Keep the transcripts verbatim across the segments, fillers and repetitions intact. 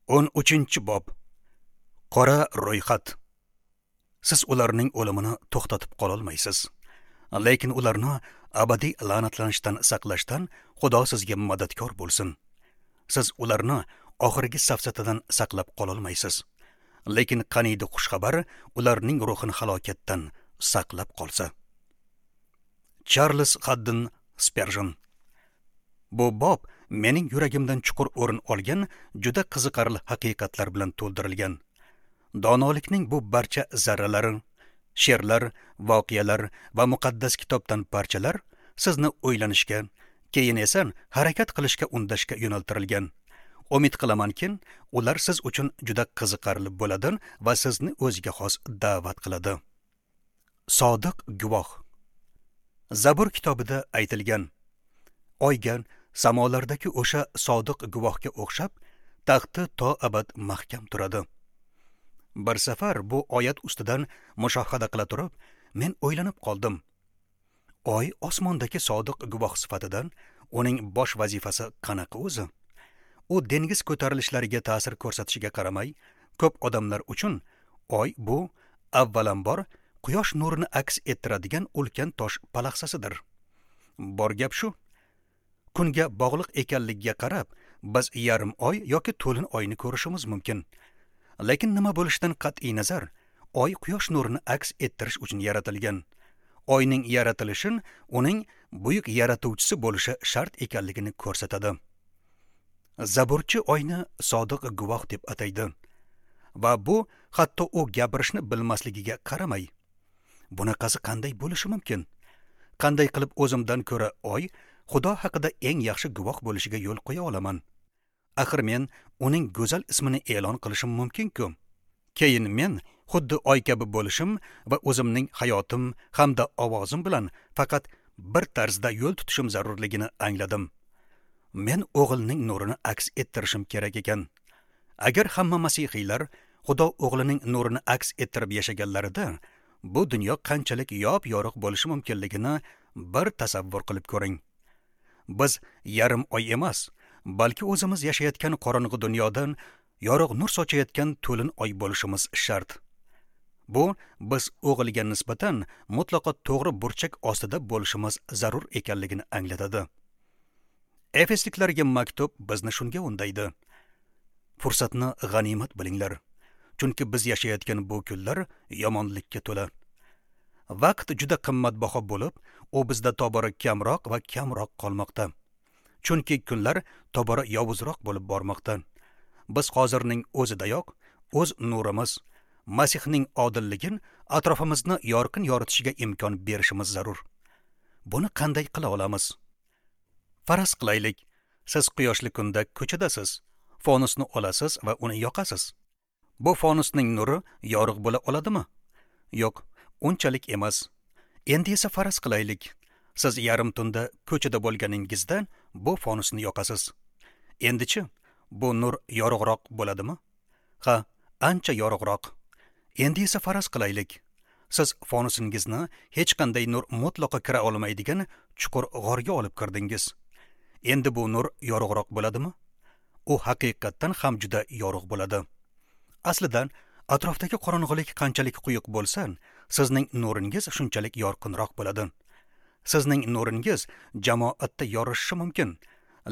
O'n uchinchi bob. Qora ro'yxat. Siz ularning o'limini to'xtatib qololmaysiz. Lekin ularni abadiy la'natlanishdan saqlashdan Xudo sizga madadkor bo'lsin. Siz ularni oxirgi safsatadan saqlab qololmaysiz. Lekin qaniydi xushxabar ularning ruhini halokatdan saqlab qolsa. Charles Haddon Spurgeon. Bu bob mening yuragimdan chuqur o'rin olgan juda qiziqarli haqiqatlar bilan to'ldirilgan. Donolikning bu barcha zarralari, she'rlar, voqealar va muqaddas kitobdan parchalar sizni o'ylanishga, keyin esa harakat qilishga undashga yo'naltirilgan. Umid qilamanki, ular siz uchun juda qiziqarli bo'ladi va sizni o'ziga xos da'vat qiladi. Sodiq guvoh. Zabur kitobida aytilgan: Oyga samolardagi o'sha sodiq guvohga o'xshab taxti to abad mahkam turadi. Bir safar bu oyat ustidan mushohada qila turib, men o'ylanib qoldim. Oy osmondagi sodiq guvoh sifatidan uning bosh vazifasi qanaqa o'zi? U dengiz ko'tarilishlariga ta'sir ko'rsatishiga qaramay, ko'p odamlar uchun oy bu avvalambor quyosh nurini aks ettiradigan ulkan tosh palaxsasidir. Bor gap shu. Kunga bog'liq ekanligiga qarab, biz yarim oy yoki to'lin oyni ko'rishimiz mumkin. Lekin nima bo'lishidan qat'iy nazar, oy quyosh nurini aks ettirish uchun yaratilgan. Oyning yaratilishi uning buyuk yaratuvchisi bo'lishi shart ekanligini ko'rsatadi. Zaburchi oyni sodiq guvoh deb ataydi. Va bu hatto u gapirishni bilmasligiga qaramay. Bunaqasi qanday bo'lishi mumkin? Qanday qilib o'zimdan ko'ra oy Xudo haqida eng yaxshi guvoh bo'lishiga yo'l qo'ya olaman? Axir men uning go'zal ismini e'lon qilishim mumkin-ku. Keyin men xuddi oy kabi bo'lishim va o'zimning hayotim hamda ovozim bilan faqat bir tarzda yo'l tutishim zarurligini angladim. Men o'g'ilning nurini aks ettirishim kerak ekan. Agar hamma masihiylar Xudo o'g'lining nurini aks ettirib yashaganlarida, bu dunyo qanchalik yop-yorug' bo'lishi mumkinligini bir tasavvur qilib ko'ring. Biz yarim oy emas, balki o'zimiz yashayotgan qorong'i dunyodan yorug' nur sochayotgan to'lin oy bo'lishimiz shart. Bu biz o'g'ilga nisbatan mutlaqo to'g'ri burchak ostida bo'lishimiz zarur ekanligini anglatadi. Efesliklarga maktub bizni shunga undaydi. Fursatni g'animat bilinglar, chunki biz yashayotgan bu kunlar yomonlikka to'la. Vaqt juda qimmatbaho bo'lib, u bizda tobora kamroq va kamroq qolmoqda. Chunki kunlar tobora yovuzroq bo'lib bormoqda. Biz hozirning o'zidayoq o'z nurimiz, Masihning odilligini atrofimizni yorqin yoritishiga imkon berishimiz zarur. Buni qanday qila olamiz? Faraz qilaylik, siz quyoshli kunda ko'chadasiz, fonusni olasiz va uni yoqasiz. Bu fonusning nuri yorug' bo'la oladimi? Yo'q, unchalik emas. Endi esa faraz qilaylik, siz yarim tunda ko'chada bo'lganingizda bu fonusni yoqasiz. Endichi, bu nur yorug'roq bo'ladimi? Ha, ancha yorug'roq. Endi esa faraz qilaylik, siz fonusingizni hech qanday nur mutlaqo kira olmaydigan chuqur g'orga olib kirdingiz. Endi bu nur yorug'roq bo'ladimi? U haqiqatdan ham juda yorug' bo'ladi. Aslida atrofdagi qorong'ulik qanchalik quyuq bo'lsa, sizning nuringiz shunchalik yorqinroq bo'ladi. Sizning nuringiz jamoatda yorishishi mumkin,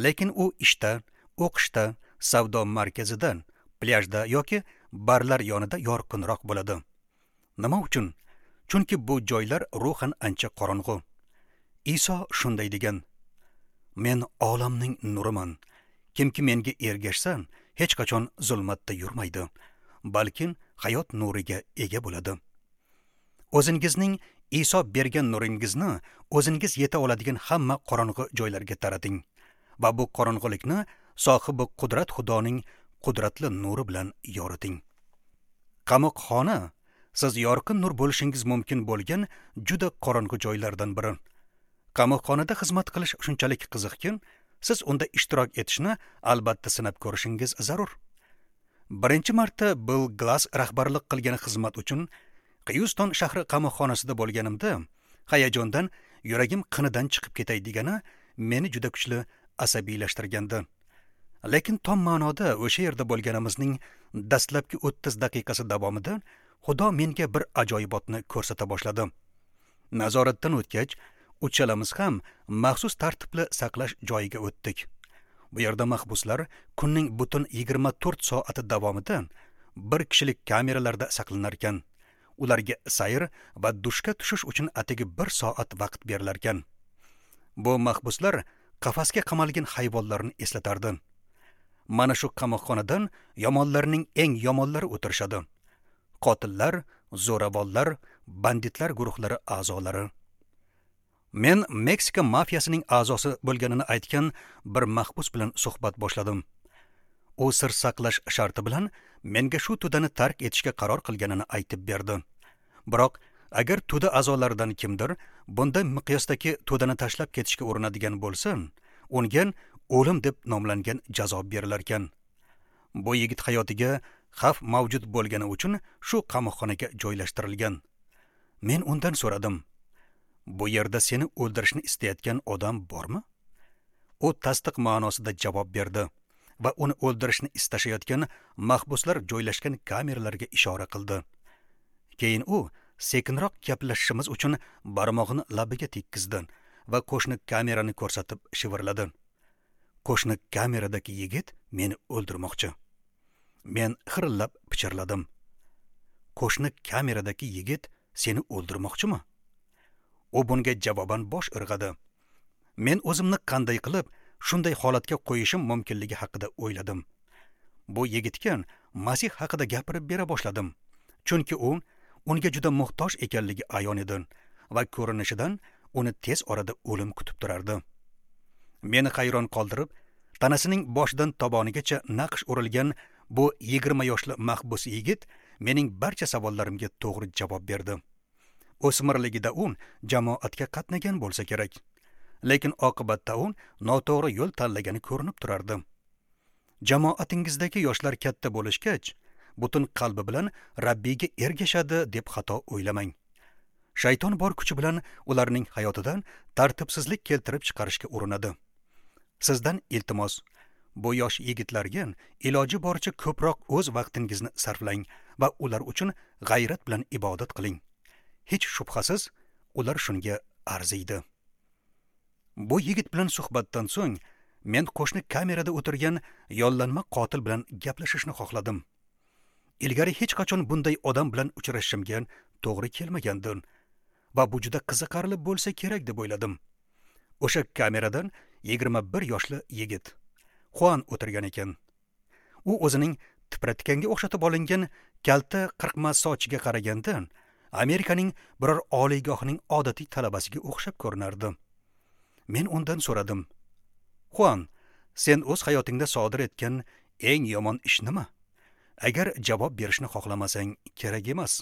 lekin u ishda, o'qishda, savdo markazida, plyajda yoki barlar yonida yorqinroq bo'ladi. Nima uchun? Chunki bu joylar ruhan ancha qorong'u. Iso shunday degan: Men olamning nuriman. Kimki menga ergashsa, hech qachon zulmatda yurmaydi, balki hayot nuriga ega bo'ladi. O'zingizning Iso bergan nuringizni o'zingiz yeta oladigan hamma qorong'u joylarga tarating va bu qorong'ulikni sohibi qudrat Xudoning qudratli nuri bilan yoriting. Qamoqxona siz yorqin nur bo'lishingiz mumkin bo'lgan juda qorong'u joylardan biri. Qamoqxonada xizmat qilish shunchalik qiziqki, siz unda ishtirok etishni albatta sinab ko'rishingiz zarur. Birinchi marta Bill Glass rahbarlik qilgan xizmat uchun Houston shahri qamoqxonasida bo'lganimda, hayajondan yuragim qinidan chiqib ketay degani meni juda kuchli asabiylashtirgandi. Lekin tom ma'noda o'sha yerda bo'lganimizning dastlabki o'ttiz daqiqasi davomida Xudo menga bir ajoyibotni ko'rsata boshladi. Nazoratdan o'tgach, uchalamiz ham maxsus tartibli saqlash joyiga o'tdik. Bu yerda mahbuslar kunning butun yigirma to'rt soati davomida bir kishilik kameralarda saqlanar ekan. Ularga sayr va dushga tushish uchun atigi bir soat vaqt berilar ekan. Bu mahbuslar qafasga qamalgan hayvonlarni eslatardi. Mana shu qamoqxonadan yomonlarning eng yomonlari o'tirishadi. Qotillar, zo'ravonlar, banditlar guruhlari a'zolari. Men Meksika mafiyasining a'zosi bo'lganini aytgan bir mahbus bilan suhbat boshladim. U sir saqlash sharti bilan menga shu to'dani tark etishga qaror qilganini aytib berdi. Biroq agar to'da a'zolaridan kimdir bunday miqyosdagi to'dani tashlab ketishga urinadigan bo'lsa, unga o'lim deb nomlangan jazo berilar ekan. Bu yigit hayotiga xavf mavjud bo'lgani uchun shu qamoqxonaga joylashtirilgan. Men undan so'radim: "Bu yerda seni o'ldirishni istayotgan odam bormi?" U tasdiq ma'nosida javob berdi va uni o'ldirishni istashayotgan mahbuslar joylashgan kameralarga ishora qildi. Keyin u sekinroq gaplashishimiz uchun barmog'ini labiga tekkizdi va qo'shni kamerani ko'rsatib shivirladi: "Qo'shni kameradagi yigit meni o'ldirmoqchi." Men xirillab pichirladim: "Qo'shni kameradagi yigit seni o'ldirmoqchimi?" U bunga javoban bosh irg'adi. Men o'zimni qanday qilib shunday holatga qo'yishim mumkinligi haqida o'yladim. Bu yigitga Masih haqida gapirib bera boshladim, chunki u unga juda muhtoj ekanligi ayon edi va ko'rinishidan uni tez orada o'lim kutib turardi. Meni hayron qoldirib, tanasining boshidan tobonigacha naqsh urilgan bu yigirma yoshli mahbus yigit mening barcha savollarimga to'g'ri javob berdi. O'smirligida u jamoatga qatnagan bo'lsa kerak, lekin oqibatda u noto'g'ri yo'l tanlagani ko'rinib turardi. Jamoatingizdagi yoshlar katta bo'lishgach, butun qalbi bilan Rabbiyga ergashadi deb xato o'ylamang. Shayton bor kuchi bilan ularning hayotidan tartibsizlik keltirib chiqarishga urinadi. Sizdan iltimos, bu yosh yigitlarga iloji boricha ko'proq o'z vaqtingizni sarflang va ular uchun g'ayrat bilan ibodat qiling. Hech shubhasiz, ular shunga arziydi. Bu yigit bilan suhbatdan so'ng men qo'shni kamerada o'tirgan yollanma qotil bilan gaplashishni xohladim. Ilgari hech qachon bunday odam bilan uchrashishimga to'g'ri kelmagandi va bu juda qiziqarli bo'lsa kerak deb o'yladim. O'sha kameradan yigirma bir yoshli yigit Juan o'tirgan ekan. U o'zining tipratikanga o'xshatib olingan kalta qirqma sochiga qaraganda Amerikaning biror oliygohining odatiy talabasiga o'xshab ko'rinardi. Men undan so'radim: "Juan, sen o'z hayotingda sodir etgan eng yomon ish nima? Agar javob berishni xohlamasang, kerak emas."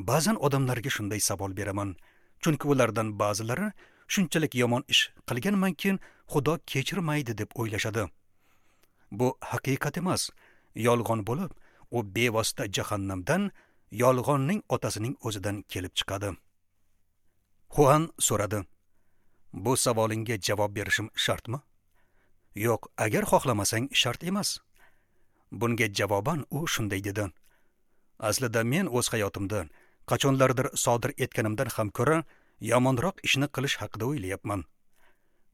Ba'zan odamlarga shunday savol beraman, chunki ulardan ba'zilari shunchalik yomon ish qilganmanki, Xudo kechirmaydi deb o'ylashadi. Bu haqiqat emas, yolg'on bo'lib, u bevosita jahannamdan, yolg'onning otasining o'zidan kelib chiqadi. Juan so'radi: "Bu savolingga javob berishim shartmi?" "Yo'q, agar xohlamasang shart emas." Bunga javoban u shunday dedi: "Aslida men o'z hayotimda qachonlardir sodir etganimdan ham ko'ra yomonroq ishni qilish haqida o'ylayapman."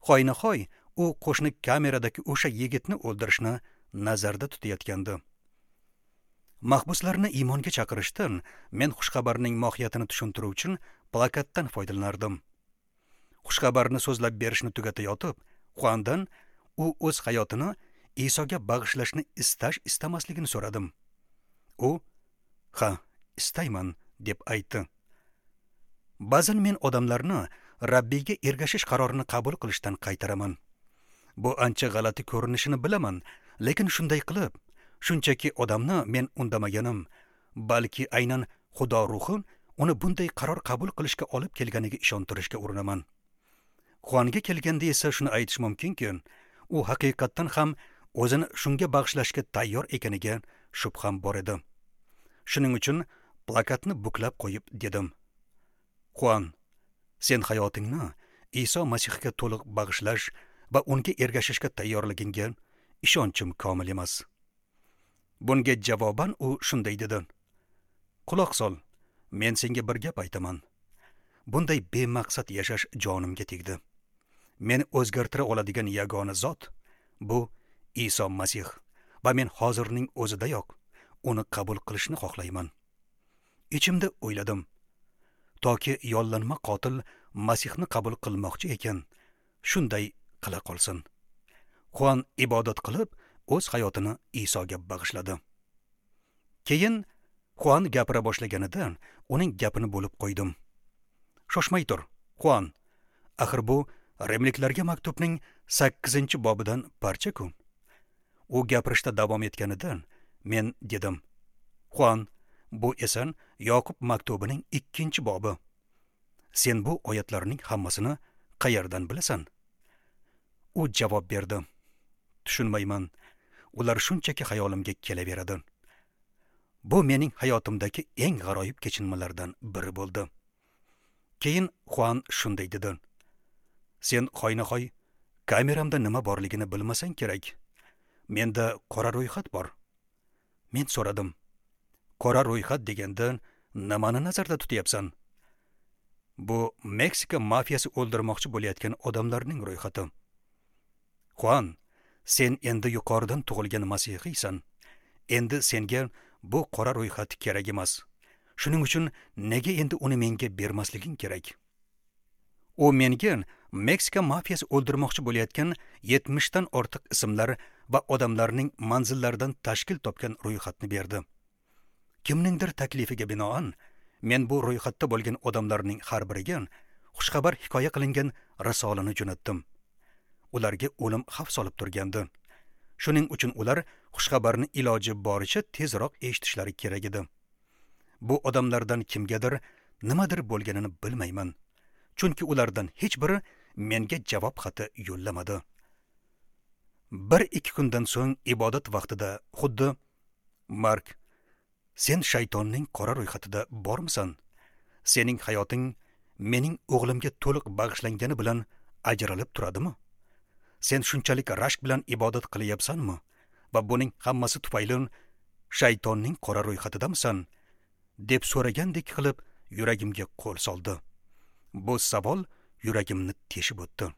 Hoynahoy u qo'shni kameradagi o'sha yigitni o'ldirishni nazarda tutayotgandi. Mahbuslarni iymonga chaqirishdan men xushxabarning mohiyatini tushuntiruv uchun plakatdan foydalanardim. Xushxabarni so'zlab berishni tugatayotib, Juandan u o'z hayotini Isoga bag'ishlashni istash istamasligini so'radim. U "Ha, istayman" deb aytdi. Ba'zan men odamlarni Rabbiyga ergashish qarorini qabul qilishdan qaytaraman. Bu ancha g'alati ko'rinishini bilaman, lekin shunday qilib, shunchaki odamni men undamaganim, balki aynan Xudo ruhi uni bunday qaror qabul qilishga olib kelganiga ishontirishga urinaman. Juanga kelganda esa shuni aytish mumkinki, u haqiqatdan ham o'zini shunga bag'ishlashga tayyor ekaniga shubham bor edi. Shuning uchun plakatni buklab qo'yib dedim: "Juan, sen hayotingni Iso Masihga to'liq bag'ishlash va unga ergashishga tayyorligingga ishonchim komil emas. Bunga javoban u shunday dedi: Quloq sol, men senga bir gap aytaman. Bunday bemaqsad yashash jonimga tegdi. Meni o'zgartira oladigan yagona zot bu Iso Masih va men hozirning o'zidayoq uni qabul qilishni xohlayman. Ichimda o'yladim, toki yollanma qotil Masihni qabul qilmoqchi ekan, shunday qila qolsin. Juan ibodat qilib, o'z hayotini Isoga bag'ishladi. Keyin Juan gapira boshlaganidan uning gapini bo'lib qo'ydim. Shoshmay tur, Juan. Axir bu Rimliklarga maktubning sakkizinchi bobidan parcha-ku. U gapirishda davom etganidan men dedim: Juan, bu esan Yoqub maktubining ikkinchi bobi. Sen bu oyatlarning hammasini qayerdan bilasan? U javob berdi: Tushunmayman. Ular shunchaki xayolimga kelaveradi. Bu mening hayotimdagi eng g'aroyib kechinmalardan biri bo'ldi. Keyin Juan shunday dedi: Sen hoynahoy kameramda nima borligini bilmasang kerak. Menda qora ro'yxat bor. Men so'radim: Qora ro'yxat deganda nimani nazarda tutyapsan? Bu Meksika mafiyasi o'ldirmoqchi bo'layotgan odamlarning ro'yxati. Juan, sen endi yuqoridan tug'ilgan masihiysan. Endi senga bu qora ro'yxat kerak emas. Shuning uchun nega endi uni menga bermasliging kerak? U menga Meksika mafiyasi o'ldirmoqchi bo'layotgan yetmishdan ortiq ismlar va odamlarning manzillaridan tashkil topgan ro'yxatni berdi. Kimningdir taklifiga binoan men bu ro'yxatda bo'lgan odamlarning har biriga xushxabar hikoya qilingan risolani jo'natdim. Ularga o'lim xavf solib turgandi. Shuning uchun ular xushxabarni iloji boricha tezroq eshitishlari kerak edi. Bu odamlardan kimgadir nimadir bo'lganini bilmayman. Chunki ulardan hech biri menga javob xati yo'llamadi. Bir ikki kundan so'ng ibodat vaqtida xuddi Mark, sen shaytonning qora ro'yxatida bormisan? Sening hayoting mening o'g'limga to'liq bag'ishlangani bilan ajralib turadimi? Sen shunchalik rashk bilan ibodat qilyapsanmi? Va buning hammasi tufayli shaytonning qora ro'yxatidamisan? Deb so'ragandek qilib yuragimga qo'l soldi. Bu savol yuragimni teshib o'tdi.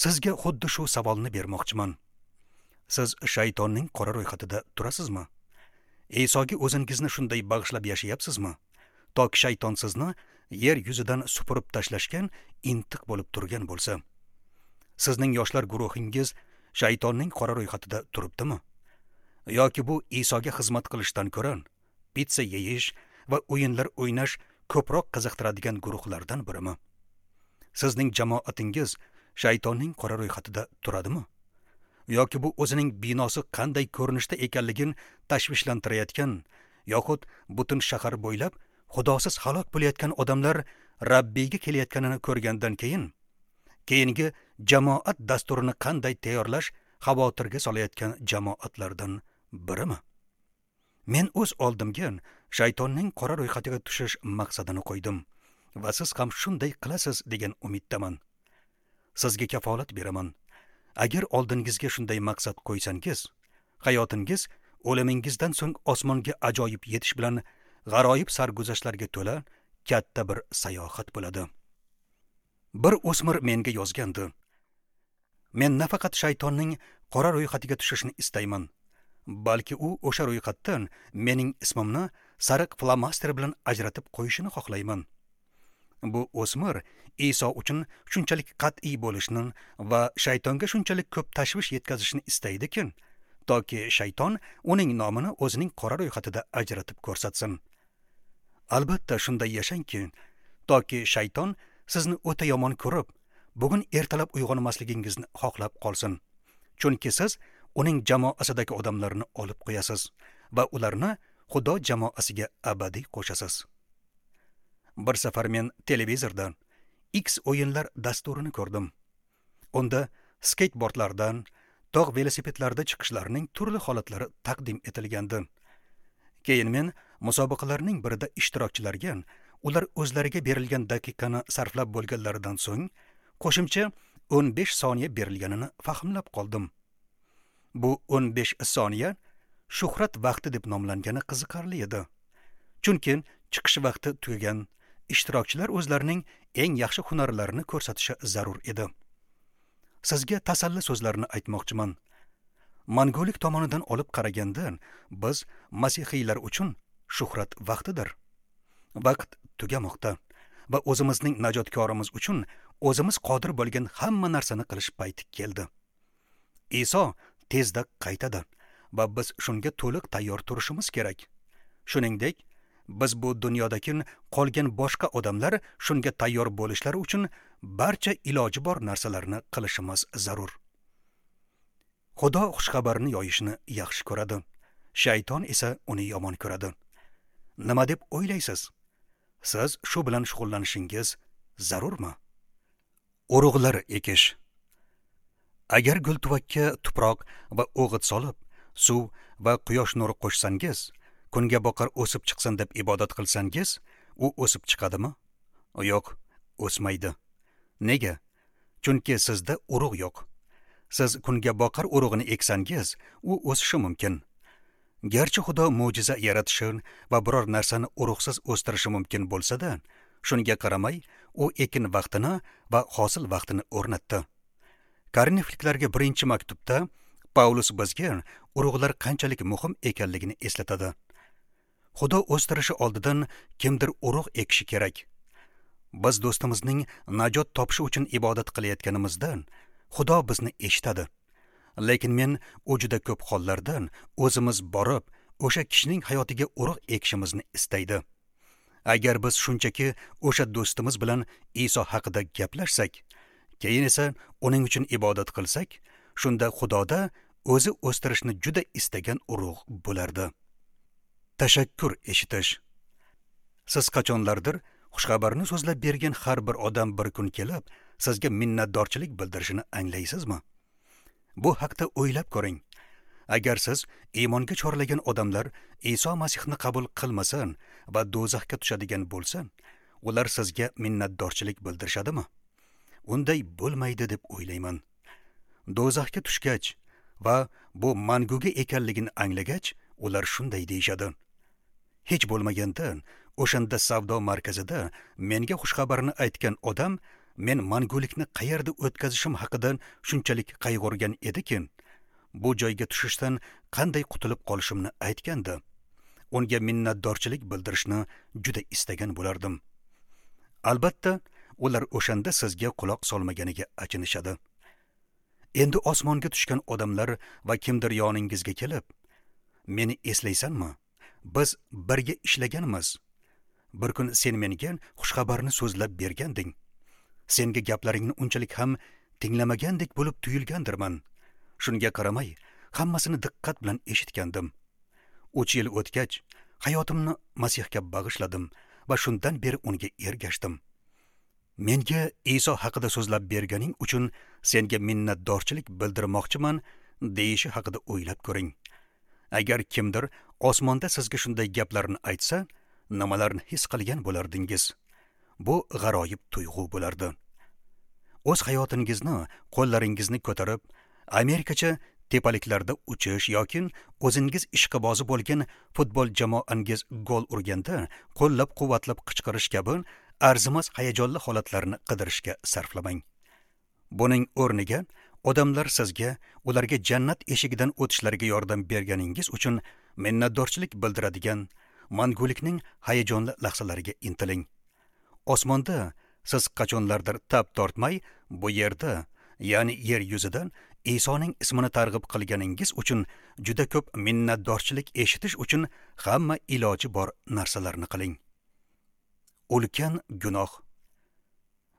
Sizga xuddi shu savolni bermoqchiman. Siz shaytonning qora ro'yxatida turasizmi? Isoga o'zingizni shunday bag'ishlab yashayapsizmi? Toki shayton sizni yer yuzidan supurib tashlashgan intiq bo'lib turgan bo'lsa. Sizning yoshlar guruhingiz shaytonning qora ro'yxatida turibdimi? Yoki bu Isoga xizmat qilishdan ko'ra pitsa yeyish va o'yinlar o'ynash ko'proq qiziqtiradigan guruhlardan birimi? Sizning jamoatingiz shaytonning qora ro'yxatida turadimi? Yoki bu o'zining binosi qanday ko'rinishda ekanligini tashvishlantirayotgan yoxud butun shahar bo'ylab xudosiz halok bo'layotgan odamlar Rabbiyga kelayotganini ko'rgandan keyin keyingi jamoat dasturini qanday tayyorlash xavotirga solayotgan jamoatlardan birimi? Men o'z oldimga shaytonning qora ro'yxatiga tushish maqsadini qo'ydim va siz ham shunday qilasiz degan umiddaman. Sizga kafolat beraman. Agar oldingizga shunday maqsad qo'ysangiz, hayotingiz o'limingizdan so'ng osmonga ajoyib yetish bilan g'aroyib sarguzashtlarga to'la katta bir sayohat bo'ladi. Bir o'smir menga yozgandi: Men nafaqat shaytonning qora ro'yxatiga tushishni istayman, balki u o'sha ro'yxatdan mening ismimni sariq flomaster bilan ajratib qo'yishini xohlayman. Bu o'smir Iso uchun shunchalik qat'iy bo'lishni va shaytonga shunchalik ko'p tashvish yetkazishni istaydiki, toki shayton uning nomini o'zining qora ro'yxatida ajratib ko'rsatsin. Albatta shunday yashangki, toki shayton sizni o'ta yomon ko'rib, bugun ertalab uyg'onmasligingizni xohlab qolsin. Chunki siz uning jamoasidagi odamlarni olib qo'yasiz va ularni Xudo jamoasiga abadiy qo'shasiz. Bir safar men televizordan X o'yinlar dasturini ko'rdim. Unda skateboardlardan, tog' velosipedlarda chiqishlarning turli holatlari taqdim etilgandi. Keyin men musobaqalarning birida ishtirokchilarga ular o'zlariga berilgan daqiqani sarflab bo'lganlaridan so'ng qo'shimcha o'n besh soniya berilganini fahmlab qoldim. Bu o'n besh soniya shuhrat vaqti deb nomlangani qiziqarli edi. Chunki chiqish vaqti tugagan, ishtirokchilar o'zlarining eng yaxshi hunarlarini ko'rsatishi zarur edi. Sizga tasalli so'zlarini aytmoqchiman. Mangulik tomonidan olib qaraganda, biz masihiylar uchun shuhrat vaqtidir. Vaqt tugamoqda va o'zimizning najotkorimiz uchun o'zimiz qodir bo'lgan hamma narsani qilish payti keldi. Iso tezda qaytadi va biz shunga to'liq tayyor turishimiz kerak. Shuningdek, biz bu dunyodagi qolgan boshqa odamlar shunga tayyor bo'lishlari uchun barcha iloji bor narsalarni qilishimiz zarur. Xudo xushxabarni yoyishni yaxshi ko'radi. Shayton esa uni yomon ko'radi. Nima deb o'ylaysiz? Siz shu bilan shug'ullanishingiz zarurmi? Urug'lar ekish. Agar gultuvakka tuproq va o'g'it solib, suv va quyosh nuri qo'shsangiz, kunga boqar o'sib chiqsin deb ibodat qilsangiz, u o'sib chiqadimi? Yo'q, o'smaydi. Nega? Chunki sizda urug' yo'q. Siz kunga boqar urug'ini eksangiz, u o'sishi mumkin. Garchi Xudo mo'jiza yaratishi va biror narsani urug'siz o'stirishi mumkin bo'lsa-da, shunga qaramay, u ekin vaqtini va hosil vaqtini o'rnatdi. Korinfliklarga birinchi maktubda Paulus bizga urug'lar qanchalik muhim ekanligini eslatadi. Xudo o'stirishi oldidan kimdir urug' ekishi kerak. Biz do'stimizning najot topishi uchun ibodat qilayotganimizda Xudo bizni eshitadi. Lekin men u juda ko'p hollardan o'zimiz borib, o'sha kishining hayotiga urug' ekishimizni istaydi. Agar biz shunchaki o'sha do'stimiz bilan Iso haqida gaplashsak, keyin esa uning uchun ibodat qilsak, shunda Xudoda o'zi o'stirishni juda istagan urug' bo'lardi. Tashakkur eshitish. Siz qachonlardir xushxabarni so'zlab bergan har bir odam bir kun kelib, sizga minnatdorchilik bildirishini anglaysizmi? Bu haqda o'ylab ko'ring. Agar siz iymonga chorlagan odamlar Iso Masihni qabul qilmasin va do'zaxga tushadigan bo'lsa, ular sizga minnatdorchilik bildirishadimi? Unday bo'lmaydi deb o'ylayman. Do'zaxga tushgach va bu manguga ekanligini anglagach, ular shunday deyishadi: Hech bo'lmaganda o'shanda savdo markazida menga xushxabarni aytgan odam men mangulikni qayerda o'tkazishim haqida shunchalik qayg'urgan ediki, bu joyga tushishdan qanday qutulib qolishimni aytgandi. Unga minnatdorchilik bildirishni juda istagan bo'lardim. Albatta, ular o'shanda sizga quloq solmaganiga achinishadi. Endi osmonga tushgan odamlar va kimdir yoningizga kelib, meni eslaysanmi? Biz birga ishlaganmiz. Bir kun sen menga xushxabarni so'zlab berganding. Senga gaplaringni unchalik ham tinglamagandek bo'lib tuyulgandirman. Shunga qaramay, hammasini diqqat bilan eshitgandim. Uch yil o'tgach, hayotimni Masihga bag'ishladim va shundan beri unga ergashdim. Menga Iso haqida so'zlab berganing uchun senga minnatdorchilik bildirmoqchiman deyishi haqida o'ylab ko'ring. Agar kimdir osmonda sizga shunday gaplarni aytsa, nimalarni his qilgan bo'lardingiz? Bu g'aroyib tuyg'u bo'lardi. O'z hayotingizni qo'llaringizni ko'tarib, Amerikacha tepaliklarda uchish yoki o'zingiz ishqibozi bo'lgan futbol jamoangiz gol urganda qo'llab-quvvatlab qichqirish kabi arzimas hayajonli holatlarni qidirishga sarflamang. Buning o'rniga odamlar sizga ularga jannat eshigidan o'tishlariga yordam berganingiz uchun minnatdorchilik bildiradigan mangulikning hayajonli lahzalariga intiling. Osmonda siz qachonlardir tab tortmay, bu yerda, ya'ni yer yuzidan Isoning ismini targ'ib qilganingiz uchun juda ko'p minnatdorchilik eshitish uchun hamma iloji bor narsalarni qiling. Ulkan gunoh.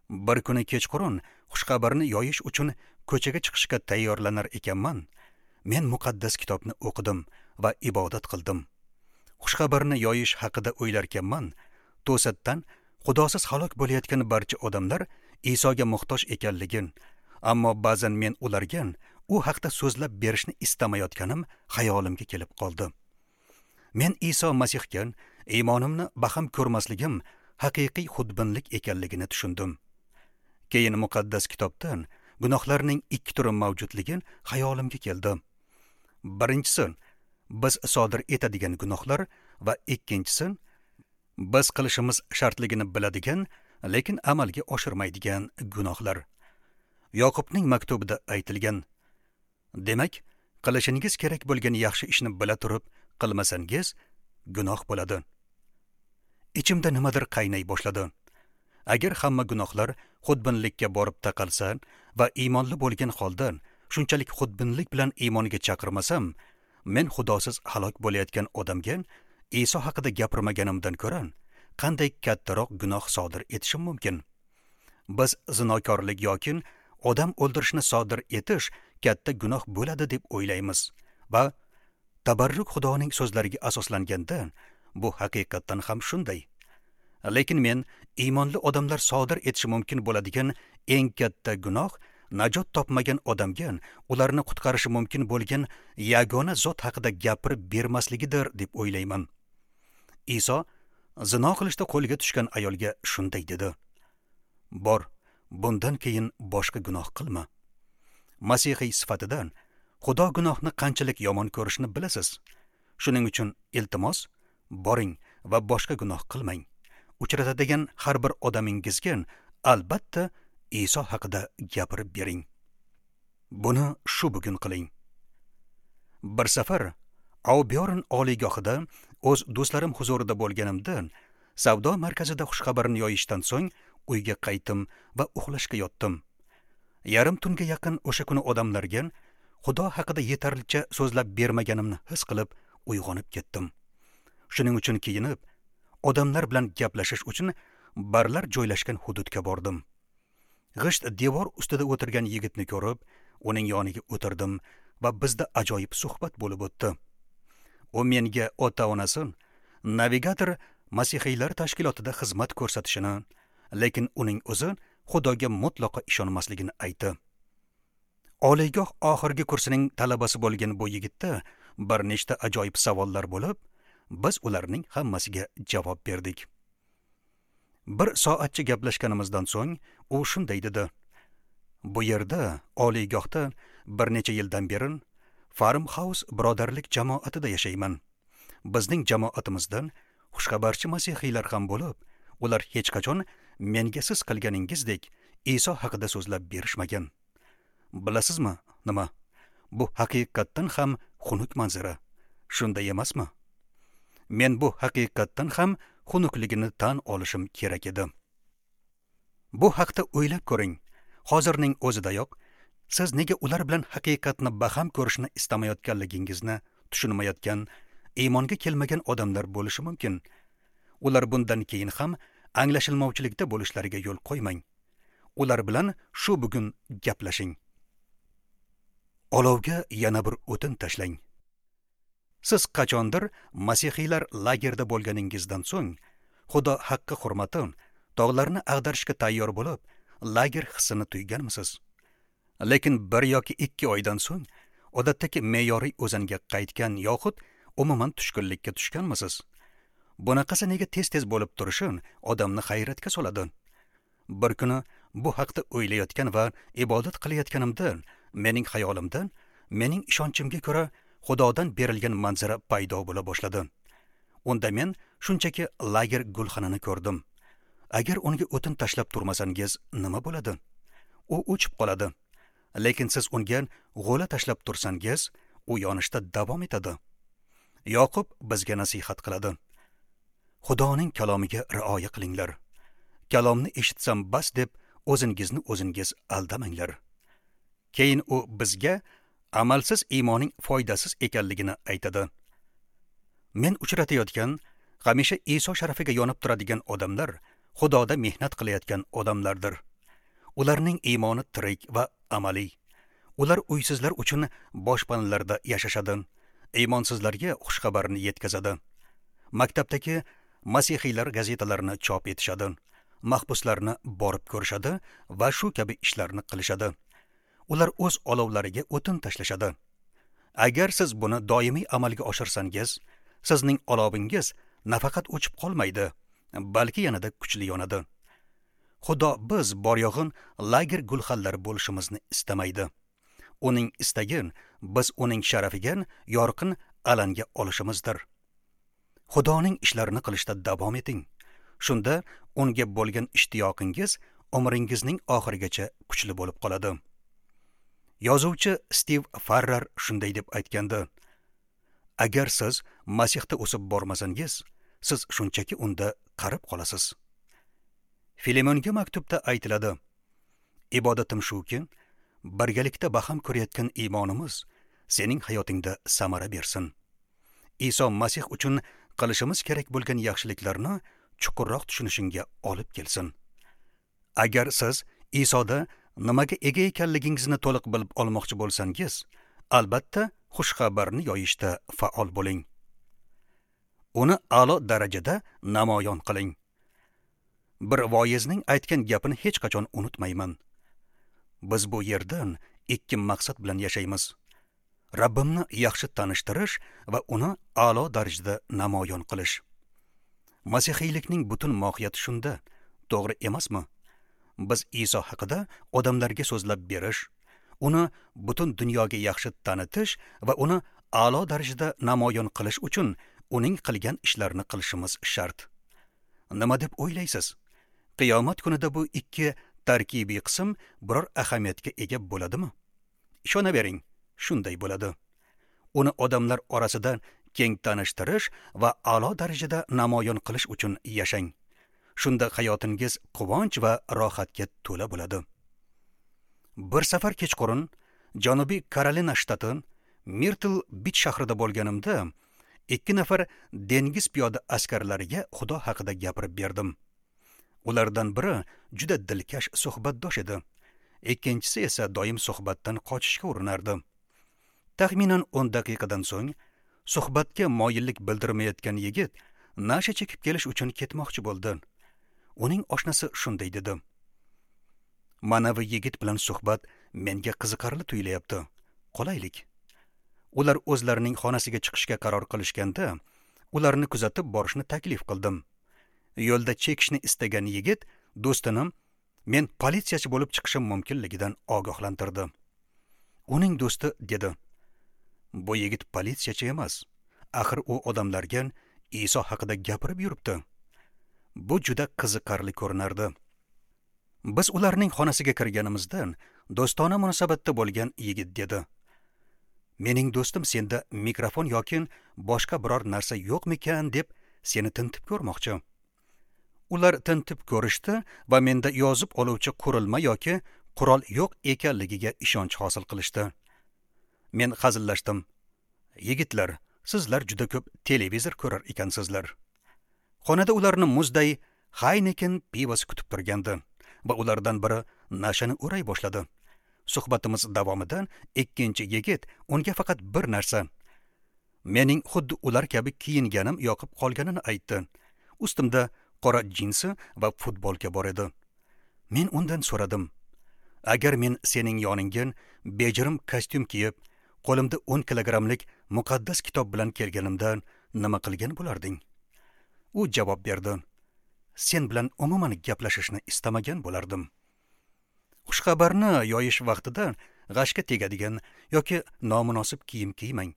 Bir kuni kechqurun xushxabarni yoyish uchun ko'chaga chiqishga tayyorlanar ekanman, men muqaddas kitobni o'qidim va ibodat qildim. Xushxabarni yoyish haqida o'ylarkanman, to'satdan Xudosiz halok bo'layotgan barcha odamlar Isoga muhtoj ekanligin, ammo ba'zan men ularga u haqda so'zlab berishni istamayotganim xayolimga kelib qoldi. Men Iso Masihga iymonimni baham ko'rmasligim haqiqiy xudbinlik ekanligini tushundim. Keyin muqaddas kitobdan gunohlarning ikki turi mavjudligi xayolimga keldi. Birinchisi, biz sodir etadigan gunohlar va ikkinchisi, biz qilishimiz shartligini biladigan, lekin amalga oshirmaydigan gunohlar. Yoqubning maktubida aytilgan: demak, qilishingiz kerak bo'lgan yaxshi ishni bila turib qilmasangiz, gunoh bo'ladi. Ichimda nimadir qaynay boshladi. Agar hamma gunohlar xudbinlikka borib taqalsa va iymonli bo'lgan holda shunchalik xudbinlik bilan iymonga chaqirmasam, men Xudosiz halok bo'layotgan odamga Iso haqida gapirmaganimdan ko'ra qanday kattaroq gunoh sodir etishim mumkin? Biz zinokorlik yoki odam o'ldirishni sodir etish katta gunoh bo'ladi deb o'ylaymiz va tabarruk Xudoning so'zlariga asoslanganda bu haqiqatdan ham shunday. Lekin men iymonli odamlar sodir etishi mumkin bo'ladigan eng katta gunoh najot topmagan odamga ularni qutqarishi mumkin bo'lgan yagona zot haqida gapirib bermasligidir deb o'ylayman. Iso zino qilishda qo'lga tushgan ayolga shunday dedi: "Bor, bundan keyin boshqa gunoh qilma." Masihiy sifatida Xudo gunohni qanchalik yomon ko'rishini bilasiz. Shuning uchun iltimos, boring va boshqa gunoh qilmang. Uchratadigan har bir odamingizga albatta Iso haqida gapirib bering. Buni shu bugun qiling. Bir safar Auburn oliygohida o'z do'stlarim huzurida bo'lganimda, savdo markazida xushxabarni yoyishdan so'ng uyga qaytdim va uxlashga yotdim. Yarim tunga yaqin o'sha kuni odamlarga Xudo haqida yetarlicha so'zlab bermaganimni his qilib uyg'onib ketdim. Shuning uchun kiyinib, odamlar bilan gaplashish uchun barlar joylashgan hududga bordim. G'isht devor ustida o'tirgan yigitni ko'rib, uning yoniga o'tirdim va bizda ajoyib suhbat bo'lib o'tdi. U menga ota-onasi navigator masihiylar tashkilotida xizmat ko'rsatishini, lekin uning o'zi Xudoga mutlaqo ishonmasligini aytdi. Oliygoh oxirgi kursining talabasi bo'lgan bu yigitda bir nechta ajoyib savollar bo'lib, biz ularning hammasiga javob berdik. Bir soatcha gaplashganimizdan so'ng u shunday dedi: "Bu yerda, oliygohda bir necha yildan beri Farmhouse birodarlik jamoatida yashayman. Bizning jamoatimizdan xushxabarchi masihiylar ham bo'lib, ular hech qachon menga siz qilganingizdek Iso haqida so'zlab berishmagan. Bilasizmi, nima? Bu haqiqatdan ham xunuk manzara. Shunday emasmi? Men bu haqiqatdan ham xunukligini tan olishim kerak edi. Bu haqda o'ylab ko'ring. Hozirning o'zidayoq siz nega ular bilan haqiqatni baham ko'rishni istamayotganligingizni tushunmayotgan, iymonga kelmagan odamlar bo'lishi mumkin. Ular bundan keyin ham anglashilmovchilikda bo'lishlariga yo'l qo'ymang. Ular bilan shu bugun gaplashing. Olovga yana bir o'tin tashlang. Siz qachondir masihiylar lagerda bo'lganingizdan so'ng Xudo haqqi hurmati tog'larni ag'darishga tayyor bo'lib, lager hissini tuyganmisiz? Lekin bir yoki ikki oydan so'ng odatdagi me'yoriy o'zanga qaytgan yoxud umuman tushkunlikka tushganmisiz? Bunaqasi nega tez-tez bo'lib turishi odamni hayratga soladi. Bir kuni bu haqda o'ylayotgan va ibodat qilayotganimda mening xayolimda mening ishonchimga ko'ra Xudodan berilgan manzara paydo bo'la boshladi. Unda men shunchaki lager gulxanini ko'rdim. Agar unga o'tin tashlab turmasangiz nima bo'ladi? U o'chib qoladi. Lekin siz unga g'o'la tashlab tursangiz, u yonishda davom etadi. Yoqub bizga nasihat qiladi. Xudoning kalomiga rioya qilinglar. Kalomni eshitsam bas deb o'zingizni o'zingiz aldamanglar. Keyin u bizga amalsiz iymoning foydasiz ekanligini aytadi. Men uchratayotgan, hamisha Iso sharafiga yonib turadigan odamlar Xudoda mehnat qilayotgan odamlardir. Ularning iymoni tirik va amaliy. Ular uysizlar uchun boshpanalarda yashashadi, iymonsizlarga xushxabarni yetkazadi. Maktabdagi masihiylar gazetalarini chop etishadi, mahbuslarni borib ko'rishadi va shu kabi ishlarni qilishadi. Ular o'z olovlariga o'tin tashlashadi. Agar siz buni doimiy amalga oshirsangiz, sizning olovingiz nafaqat o'chib qolmaydi, balki yanada kuchli yonadi. Xudo biz bor yo'g'in lager gulxanlari bo'lishimizni istamaydi. Uning istagi biz uning sharafiga yorqin alanga olishimizdir. Xudoning ishlarini qilishda davom eting. Shunda unga bo'lgan ishtiyoqingiz umringizning oxirigacha kuchli bo'lib qoladi. Yozuvchi Stiv Farrar shunday deb aytgandi: agar siz Masihda o'sib bormasangiz, siz shunchaki unda qarib qolasiz. Filemonga maktubda aytiladi: ibodatim shuki, birgalikda baham ko'rayotgan iymonimiz sening hayotingda samara bersin. Iso Masih uchun qilishimiz kerak bo'lgan yaxshiliklarni chuqurroq tushunishingga olib kelsin. Agar siz Isoda nimaga ega ekanligingizni to'liq bilib olmoqchi bo'lsangiz, albatta xush xabarni yoyishda faol bo'ling. Uni a'lo darajada namoyon qiling. Bir voizning aytgan gapini hech qachon unutmayman. Biz bu yerdan ikki maqsad bilan yashaymiz. Rabbimni yaxshi tanishtirish va uni a'lo darajada namoyon qilish. Masihiylikning butun mohiyati shunda, to'g'ri emasmi? Biz Iso haqida odamlarga so'zlab berish, uni butun dunyoga yaxshi tanitish va uni a'lo darajada namoyon qilish uchun uning qilgan ishlarini qilishimiz shart. Nima deb o'ylaysiz? Qiyomat kunida bu ikki tarkibiy qism biror ahamiyatga ega bo'ladimi? Ishonavering, shunday bo'ladi. Uni odamlar orasida keng tanishtirish va a'lo darajada namoyon qilish uchun yashang. Shunda hayotingiz quvonch va rohatga to'la bo'ladi. Bir safar kechqurun Janubiy Karolina shtati Mirtl Bich shahrida bo'lganimda ikki nafar dengiz piyoda askarlariga Xudo haqida gapirib berdim. Ulardan biri juda dilkash suhbatdosh edi. Ikkinchisi esa doim suhbatdan qochishga urinardi. Taxminan o'n daqiqadan so'ng suhbatga moyillik bildirmayotgan yigit nasha chekib kelish uchun ketmoqchi bo'ldi. Uning oshnasi shunday dedi: "Manavi yigit bilan suhbat menga qiziqarli tuyulyapti. Qolaylik." Ular o'zlarining xonasiga chiqishga qaror qilishganda, ularni kuzatib borishni taklif qildim. Yo'lda chekishni istagan yigit do'stini men politsiyachi bo'lib chiqishim mumkinligidan ogohlantirdi. Uning do'sti dedi: "Bu yigit politsiyachi emas. Axir u odamlarga Iso haqida gapirib yuribdi." Bu juda qiziqarli ko'rinardi. Biz ularning xonasiga kirganimizdan do'stona munosabatda bo'lgan yigit dedi: "Mening do'stim senda mikrofon yoki boshqa biror narsa yo'qmikan deb seni tintib ko'rmoqchi." Ular tintib ko'rishdi va menda yozib oluvchi qurilma yoki qurol yo'q ekanligiga ishonch hosil qilishdi. Men hazillashdim: "Yigitlar, sizlar juda ko'p televizor ko'rar ekansizlar." Xonada ularni muzday Heineken pivosi kutib turgandi va ulardan biri nashani o'ray boshladi. Suhbatimiz davomida ikkinchi yigit unga faqat bir narsa, mening xuddi ular kabi kiyinganim yoqib qolganini aytdi. Ustimda qora jinsi va futbolka bor edi. Men undan so'radim: "Agar men sening yoningga bejirim kostyum kiyib, qo'limda o'n kilogrammlik muqaddas kitob bilan kelganimda nima qilgan bo'larding?" U javob berdi: "Sen bilan umuman gaplashishni istamagan bo'lardim." Xushxabarni yoyish vaqtida g'ashga tegadigan yoki nomunosib kiyim kiymang,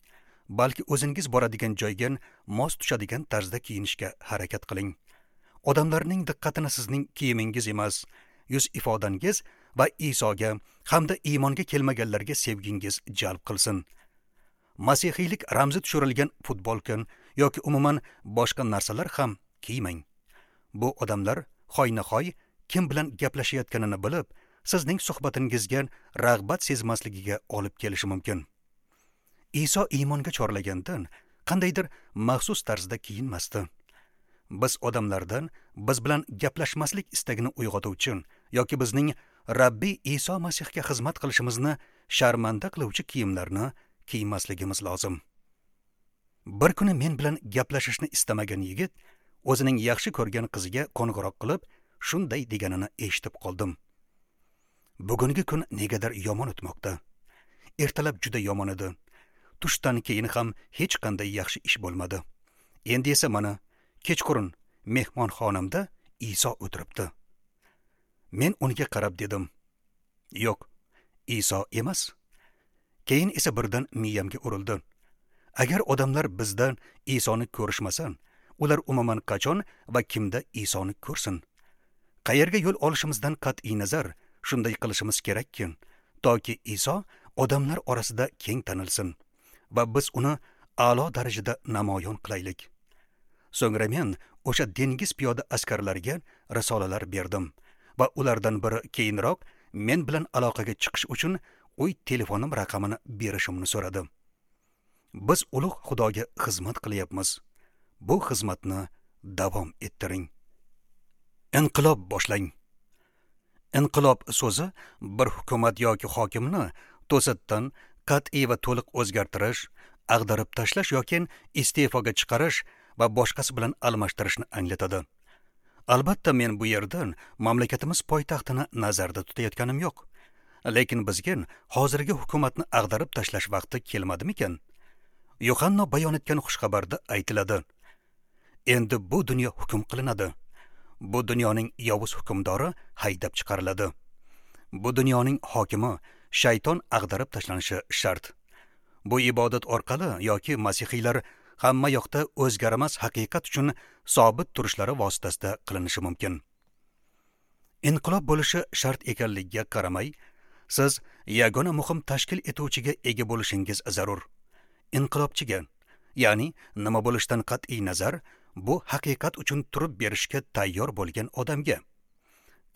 balki o'zingiz boradigan joyga mos tushadigan tarzda kiyinishga harakat qiling. Odamlarning diqqatini sizning kiyimingiz emas, yuz ifodangiz va Isoga hamda iymonga kelmaganlarga sevgingiz jalb qilsin. Masihiylik ramzi tushirilgan futbolka yoki umuman boshqa narsalar ham kiymang. Bu odamlar hoynahoy kim bilan gaplashayotganini bilib, sizning suhbatingizga rag'bat sezmasligiga olib kelishi mumkin. Iso iymonga chorlagandan qandaydir maxsus tarzda kiyinmasdi. Biz odamlardan biz bilan gaplashmaslik istagini uyg'otuvchi yoki bizning Rabbiy Iso Masihga xizmat qilishimizni sharmanda qiluvchi kiyimlarni kiymasligimiz lozim. Bir kuni men bilan gaplashishni istamagan yigit o'zining yaxshi ko'rgan qiziga qo'ng'iroq qilib, shunday deganini eshitib qoldim: "Bugungi kun negadir yomon o'tmoqda. Ertalab juda yomon edi. Tushdan keyin ham hech qanday yaxshi ish bo'lmadi. Endi esa mana kechqurun mehmonxonamda Iso o'tiribdi." Men unga qarab dedim: "Yo'q, Iso emas. Keyin esa birdan miyamga urildi. Agar odamlar bizdan Isoni ko'rishmasa, ular umuman qachon va kimda Isoni ko'rsin? Qayerga yo'l olishimizdan qat'iy nazar shunday qilishimiz kerakki, toki Iso odamlar orasida keng tanilsin va biz uni a'lo darajada namoyon qilaylik. So'ngra men o'sha dengiz piyoda askarlariga risolalar berdim va ulardan biri keyinroq men bilan aloqaga chiqish uchun uy telefonim raqamini berishimni so'radi. Biz ulug' Xudoga xizmat qilyapmiz. Bu xizmatni davom ettiring. Inqilob boshlang. Inqilob so'zi bir hukumat yoki hokimni to'satdan qat'iy va to'liq o'zgartirish, ag'darib tashlash yoki iste'foga chiqarish va boshqasi bilan almashtirishni anglatadi. Albatta men bu yerdan mamlakatimiz poytaxtini nazarda tutayotganim yo'q. Lekin bizga hozirgi hukumatni ag'darib tashlash vaqti kelmadimikan? Yohanna bayon etgan xushxabarda aytiladi: Endi bu dunyo hukm qilinadi. Bu dunyoning yovuz hukmdori haydab chiqariladi. Bu dunyoning hokimi shayton ag'darib tashlanishi shart. Bu ibodat orqali yoki masihiylar hamma yoqda o'zgarmas haqiqat uchun sobit turishlari vositasida qilinishi mumkin. Inqilob bo'lishi shart ekanligiga qaramay, siz yagona muhim tashkil etuvchiga ega bo'lishingiz zarur. Inqilobchiga, ya'ni nima bo'lishidan qat'iy nazar, bu haqiqat uchun turib berishga tayyor bo'lgan odamga.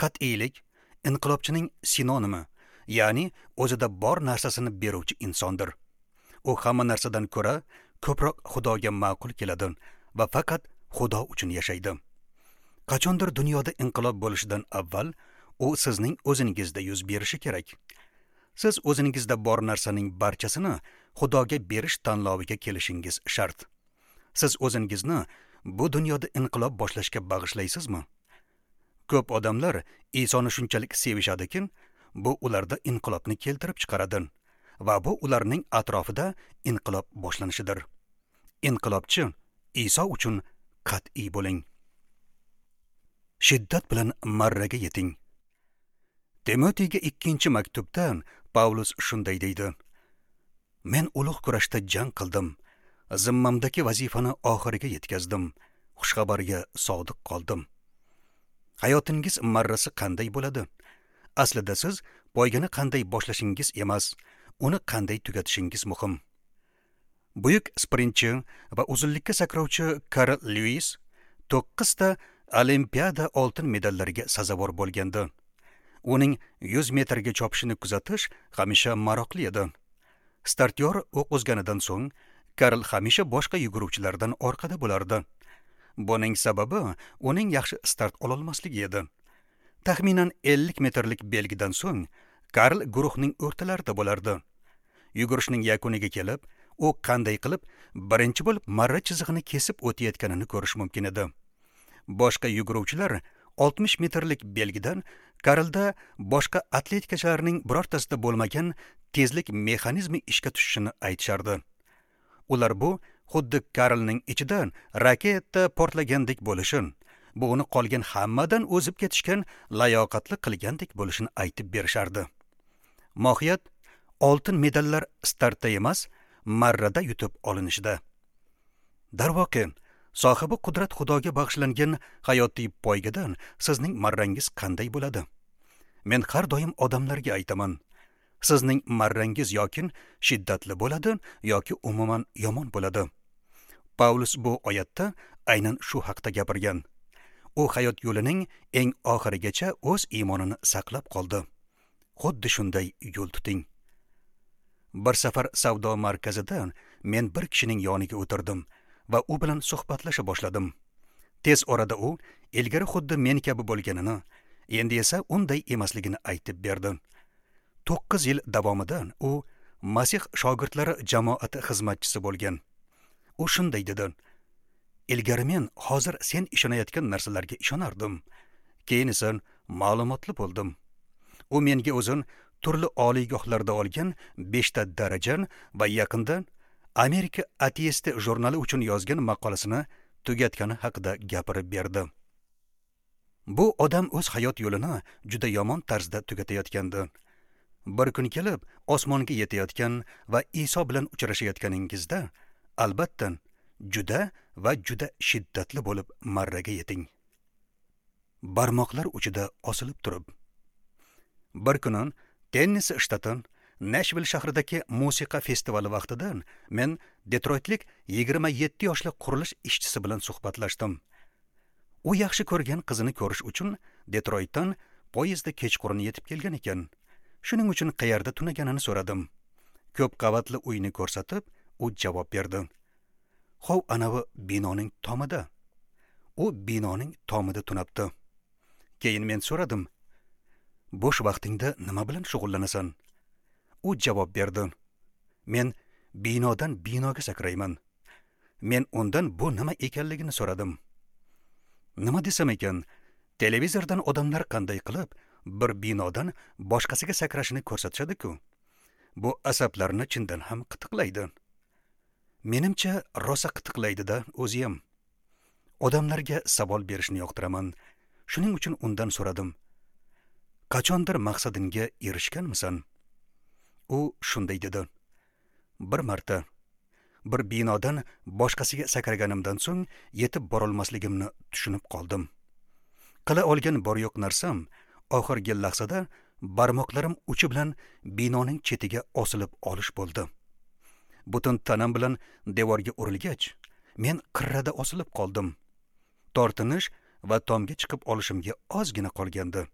Qat'iylik inqilobchining sinonimi, ya'ni o'zida bor narsasini beruvchi insondir. U hamma narsadan ko'ra ko'proq Xudoga ma'qul keladi va faqat Xudo uchun yashaydi. Qachondir dunyoda inqilob bo'lishidan avval u sizning o'zingizda yuz berishi kerak. Siz o'zingizda bor narsaning barchasini Xudoga berish tanloviga kelishingiz shart. Siz o'zingizni bu dunyoda inqilob boshlashga bag'ishlaysizmi? Ko'p odamlar Isoni shunchalik sevishadiki, bu ularda inqilobni keltirib chiqaradi va bu ularning atrofida inqilob boshlanishidir. Inqilobchi Iso uchun qat'iy bo'ling. Shiddat bilan marraga yeting. Timotiyga ikkinchi maktubda Pavlus shunday deydi: Men ulug' kurashda jang qildim, zimmamdagi vazifani oxiriga yetkazdim, xushxabarga sodiq qoldim. Hayotingiz marrasi qanday bo'ladi? Aslida siz poygani qanday boshlashingiz emas, uni qanday tugatishingiz muhim. Buyuk sprintchi va uzunlikka sakrovchi Karl Lewis to'qqizta Olimpiada oltin medallariga sazovor bo'lgandi. Uning yuz metrga chopishini kuzatish hamisha maroqli edi. Startyor o'q uzganidan so'ng Karl hamisha boshqa yuguruvchilardan orqada bo'lardi. Buning sababi uning yaxshi start ololmasligi edi. Taxminan ellik metrlik belgidan so'ng Karl guruhning o'rtalarida bo'lardi. Yugurishning yakuniga kelib, u qanday qilib birinchi bo'lib marra chizig'ini kesib o'tayotganini ko'rish mumkin edi. Boshqa yuguruvchilar oltmish metrlik belgidan Karlda boshqa atletikachilarning birortasida bo'lmagan tezlik mexanizmi ishga tushishini aytishardi. Ular bu xuddi Karlning ichidan raketa portlagandek bo'lishini, bu uni qolgan hammadan o'zib ketishgan layoqatli qilgandek bo'lishini aytib berishardi. Mohiyat oltin medallar startda emas, marrada yutib olinishida. Darvoqe, sohibi qudrat Xudoga bag'ishlangan hayotiy poygadan sizning marrangiz qanday bo'ladi? Men har doim odamlarga aytaman, sizning marrangiz yoki shiddatli bo'ladi yoki umuman yomon bo'ladi. Pavlus bu oyatda aynan shu haqda gapirgan. U hayot yo'lining eng oxirigacha o'z iymonini saqlab qoldi. Xuddi shunday yo'l tuting. Bir safar savdo markazida men bir kishining yoniga o'tirdim va u bilan suhbatlasha boshladim. Tez orada u ilgari xuddi men kabi bo'lganini, endi esa unday emasligini aytib berdi. To'qqiz yil davomida u Masih shogirdlari jamoati xizmatchisi bo'lgan. U shunday dedi: Ilgari men hozir sen ishonayotgan narsalarga ishonardim. Keyin esa ma'lumotli bo'ldim. U menga o'zin turli oliygohlarda olgan beshta daraja va yaqinda Amerika ateisti jurnali uchun yozgan maqolasini tugatgani haqida gapirib berdi. Bu odam o'z hayot yo'lini juda yomon tarzda tugatayotgandi. Bir kun kelib osmonga yetayotgan va Iso bilan uchrashayotganingizda, albatta juda va juda shiddatli bo'lib marraga yeting. Barmoqlar uchida osilib turib. Bir kuni Tennessee shtati Nashville shahridagi musiqa festivali vaqtida men Detroitlik yigirma yetti yoshli qurilish ishchisi bilan suhbatlashdim. U yaxshi ko'rgan qizini ko'rish uchun Detroitdan poyezdda kechqurun yetib kelgan ekan. Shuning uchun qayerda tunaganini so'radim. Ko'p qavatli uyni ko'rsatib, u javob berdi. Hov anavi binoning tomida. U binoning tomida tunabdi. Keyin men so'radim. Bo'sh vaqtingda nima bilan shug'ullanasan? U javob berdi. Men binodan binoga sakrayman. Men undan bu nima ekanligini so'radim. Nima desam ekan, televizordan odamlar qanday qilib bir binodan boshqasiga sakrashini ko'rsatishadi-ku. Bu asablarni chindan ham qitiqlaydi. Menimcha rosa qitiqlaydi-da o'zi ham. Odamlarga savol berishni yoqtiraman. Shuning uchun undan so'radim. Qachondir maqsadingga erishganmisan? U shunday dedi. Bir marta bir binodan boshqasiga sakraganimdan so'ng yetib borolmasligimni tushunib qoldim. Qila olgan bor yo'q narsam oxirgi lahzada barmoqlarim uchi bilan binoning chetiga osilib olish bo'ldi. Butun tanam bilan devorga urilgach, men qirrada osilib qoldim. Tortinish va tomga chiqib olishimga ozgina qolgandi.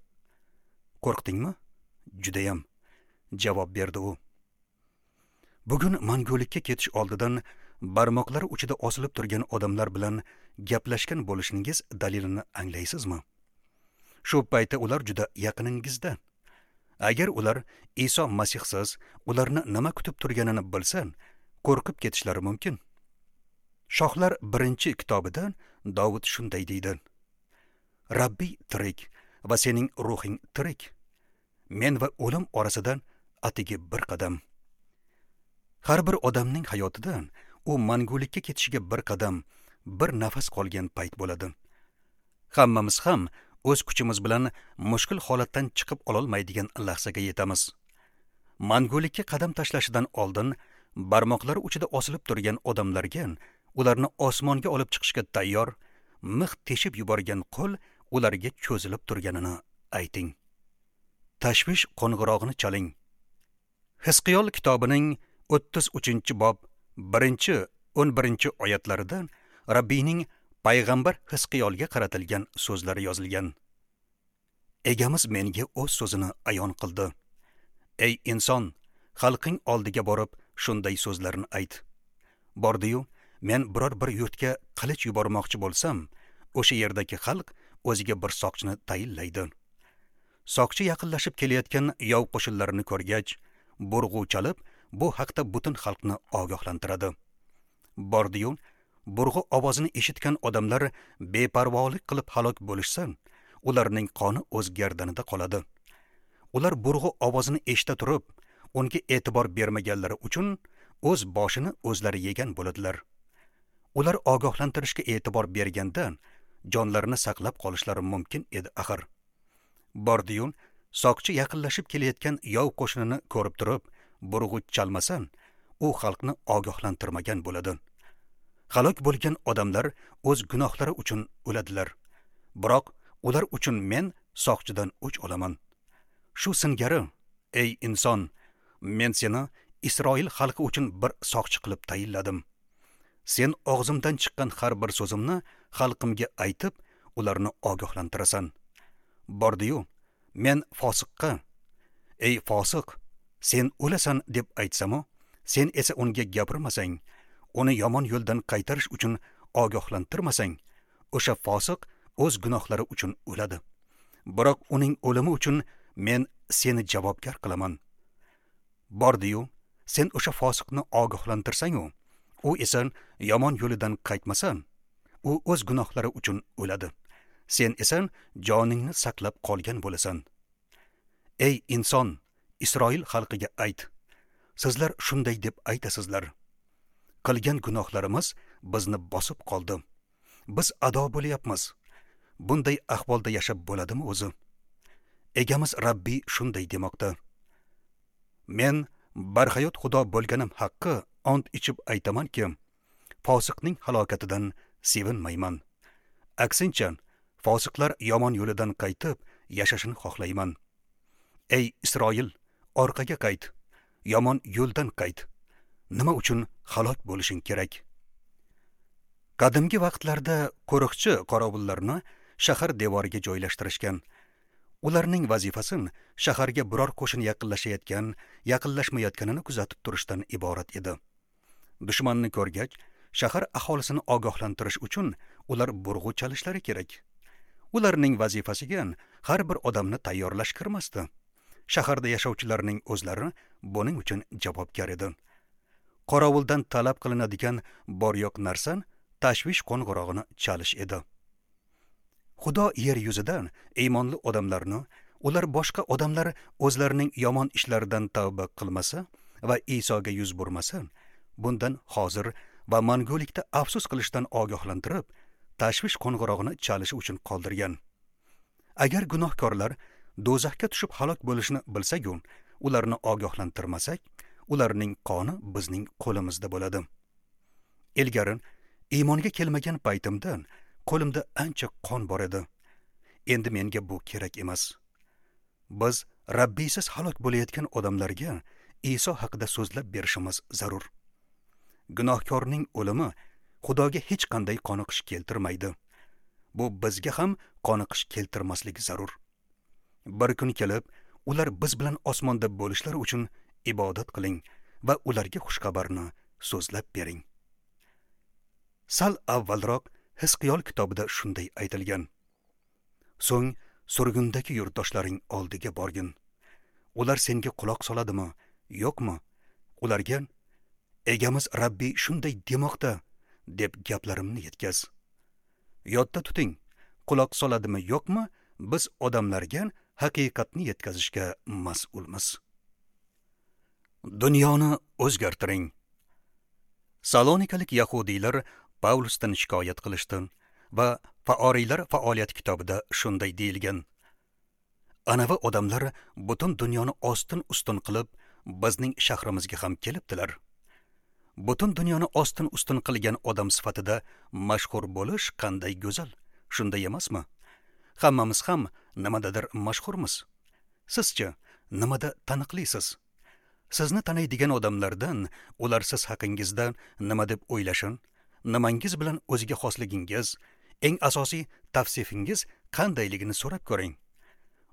Qo'rqdingmi? Judayam, javob berdi u. Bugun mangulikka ketish oldidan barmoqlari uchida osilib turgan odamlar bilan gaplashgan bo'lishingiz dalilini anglaysizmi? Shu paytda ular juda yaqiningizda. Agar ular Iso Masihsiz ularni nima kutib turganini bilsa, qo'rqib ketishlari mumkin. Shohlar birinchi kitobida Davud shunday deydi: Rabbiy tirik va sening ruhing tirik. Men va o'lim orasida atigi bir qadam. Har bir odamning hayotida u mangulikka ketishiga bir qadam, bir nafas qolgan payt bo'ladi. Hammamiz ham o'z kuchimiz bilan mushkul holatdan chiqib ololmaydigan lahzaga yetamiz. Mangulikka qadam tashlashidan oldin barmoqlari uchida osilib turgan odamlarga ularni osmonga olib chiqishga tayyor, mix teshib yuborgan qo'l ularga cho'zilib turganini ayting. Tashvish qo'ng'irog'ini chaling. Hizqiyol kitobining o'ttiz uchinchi bob birinchi o'n birinchi oyatlarida Rabbiyning payg'ambar Hizqiyolga qaratilgan so'zlari yozilgan. Egamiz menga o'z so'zini ayon qildi. Ey inson, xalqing oldiga borib shunday so'zlarni ayt. Bordi-yu, men biror bir yurtga qilich yubormoqchi bo'lsam, o'sha yerdagi xalq o'ziga bir soqchini tayinlaydi. Soqchi yaqinlashib kelayotgan yov qo'shinlarini ko'rgach, burg'u chalib, bu haqda butun xalqni ogohlantiradi. Bordi-yu, burg'u ovozini eshitgan odamlar beparvolik qilib halok bo'lishsa, ularning qoni o'z gardanida qoladi. Ular burg'u ovozini eshita turib, unga e'tibor bermaganlari uchun o'z boshini o'zlari yegan bo'ladilar. Ular ogohlantirishga e'tibor berganda jonlarini saqlab qolishlari mumkin edi axir. Bordi-yu, soqchi yaqinlashib kelayotgan yov qo'shinini ko'rib turib, burg'u chalmasa, u xalqni ogohlantirmagan bo'ladi. Halok bo'lgan odamlar o'z gunohlari uchun o'ladilar. Biroq ular uchun men soqchidan o'ch olaman. Shu singari, ey inson, men seni Isroil xalqi uchun bir soqchi qilib tayinladim. Sen og'zimdan chiqqan har bir so'zimni xalqimga aytib, ularni ogohlantirasan. Bordi-yu, men fosiqqa, ey fosiq, sen o'lasan deb aytsam-u, sen esa unga gapirmasang, uni yomon yo'ldan qaytarish uchun ogohlantirmasang, o'sha fosiq o'z gunohlari uchun o'ladi. Biroq uning o'limi uchun men seni javobgar qilaman. Bordi-yu, sen o'sha fosiqni ogohlantirsang-u, u esa yomon yo'lidan qaytmasa, u o'z gunohlari uchun o'ladi. Sen esa joningni saqlab qolgan bo'lasan. Ey inson, Isroil xalqiga ayt. Sizlar shunday deb aytasizlar: qilgan gunohlarimiz bizni bosib qoldi. Biz ado bo'lyapmiz. Bunday ahvolda yashab bo'ladimi o'zi? Egamiz Rabbiy shunday demoqda: Men barhayot Xudo bo'lganim haqqi ont ichib aytamanki, fosiqning halokatidan sevinmayman. Aksincha, fosiqlar yomon yo'lidan qaytib yashashini xohlayman. Ey Isroil, orqaga qayt, yomon yo'ldan qayt. Nima uchun halok bo'lishing kerak? Qadimgi vaqtlarda qo'riqchi qorovullarni shahar devoriga joylashtirishgan. Ularning vazifasi shaharga biror qo'shin yaqinlashayotgan, yaqinlashmayotganini kuzatib turishdan iborat edi. Dushmanni ko'rgach, shahar aholisini ogohlantirish uchun ular burg'u chalishlari kerak. Ularning vazifasiga har bir odamni tayyorlash kirmasdi. Shaharda yashovchilarning o'zlari buning uchun javobgar edi. Qorovuldan talab qilinadigan bor yo'q narsa tashvish qo'ng'irog'ini chalish edi. Xudo yer yuzidan iymonli odamlarni, ular boshqa odamlar o'zlarining yomon ishlaridan tavba qilmasa va Isoga yuz burmasa, bundan hozir va mangulikda afsus qilishdan ogohlantirib, tashvish qo'ng'irog'ini chalishi uchun qoldirgan. Agar gunohkorlar do'zaxga tushib halok bo'lishini bilsak-u, ularni ogohlantirmasak, ularning qoni bizning qo'limizda bo'ladi. Ilgari iymonga kelmagan paytimda qo'limda ancha qon bor edi. Endi menga bu kerak emas. Biz Rabbiysiz halok bo'layotgan odamlarga Iso haqida so'zlab berishimiz zarur. Gunohkorning o'limi Xudoga hech qanday qoniqish keltirmaydi. Bu bizga ham qoniqish keltirmasligi zarur. Bir kun kelib, ular biz bilan osmonda bo'lishlari uchun ibodat qiling va ularga xushxabarni so'zlab bering. Sal avvalroq Hizqiyol kitobida shunday aytilgan: So'ng surgundagi yurtdoshlaring oldiga borgin. Ular senga quloq soladimi, yo'qmi? Ularga Egamiz Rabbiy shunday demoqda deb gaplarimni yetkaz. Yodda tuting, quloq soladimi, yo'qmi, biz odamlarga haqiqatni yetkazishga mas'ulmiz. Dunyoni o'zgartiring. Salonikalik yahudiylar Pavlusdan shikoyat qilishdi va Faoriylar faoliyat kitobida shunday deyilgan: Anavi odamlar butun dunyoni ostin-ustun qilib, bizning shahrimizga ham kelibdilar. Butun dunyoni ostin-ustun qilgan odam sifatida mashhur bo'lish qanday go'zal, shunday emasmi? Hammamiz ham nimadadir mashhurmiz. Sizchi nimada taniqlisiz? Sizni taniydigan odamlardan ular siz haqingizda nima deb o'ylashin, nimangiz bilan o'ziga xosligingiz, eng asosiy tavsifingiz qandayligini so'rab ko'ring.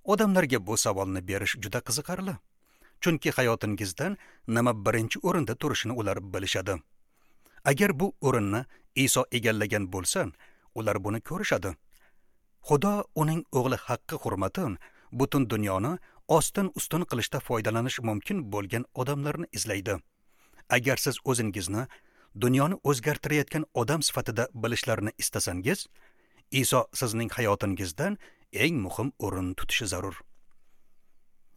Odamlarga bu savolni berish juda qiziqarli. Chunki hayotingizdan nima birinchi o'rinda turishini ular bilishadi. Agar bu o'rinni Iso egallagan bo'lsa, ular buni ko'rishadi. Xudo uning o'g'li haqqi hurmati butun dunyoni ostin-ustun qilishda foydalanish mumkin bo'lgan odamlarni izlaydi. Agar siz o'zingizni dunyoni o'zgartirayotgan odam sifatida bilishlarini istasangiz, Iso sizning hayotingizdan eng muhim o'rin tutishi zarur.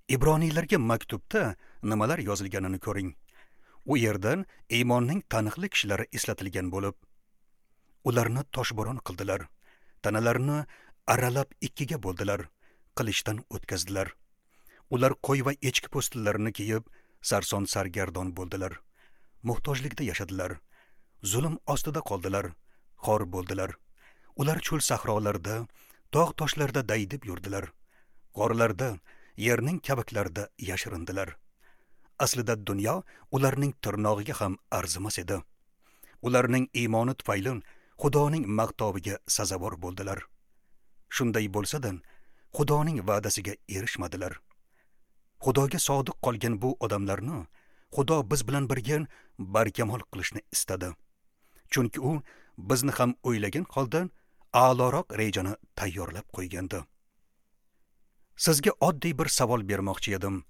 Ibroniylarga maktubda nimalar yozilganini ko'ring. U yerdan iymonning taniqli kishilari eslatilgan bo'lib, ularni toshbo'ron qildilar, tanalarini aralab ikkiga bo'ldilar, qilichdan o'tkazdilar. Ular qo'y va echki po'stillarini kiyib, sarson sargardon bo'ldilar. Muhtojlikda yashadilar, zulm ostida qoldilar, xor bo'ldilar. Ular cho'l sahrolarda, tog' toshlarda daydib yurdilar. G'orlarda, yerning kavaklarida yashirindilar. Aslida dunyo ularning tirnog'iga ham arzimas edi. Ularning iymoni tufayli Xudoning maqtoviga sazovor bo'ldilar. Shunday bo'lsa-da, Xudoning va'dasiga erishmadilar. Xudoga sodiq qolgan bu odamlarni Xudo biz bilan birga barkamol qilishni istadi. Chunki u bizni ham o'ylagan holda a'loroq rejani tayyorlab qo'ygandi. Sizga oddiy bir savol bermoqchi edim.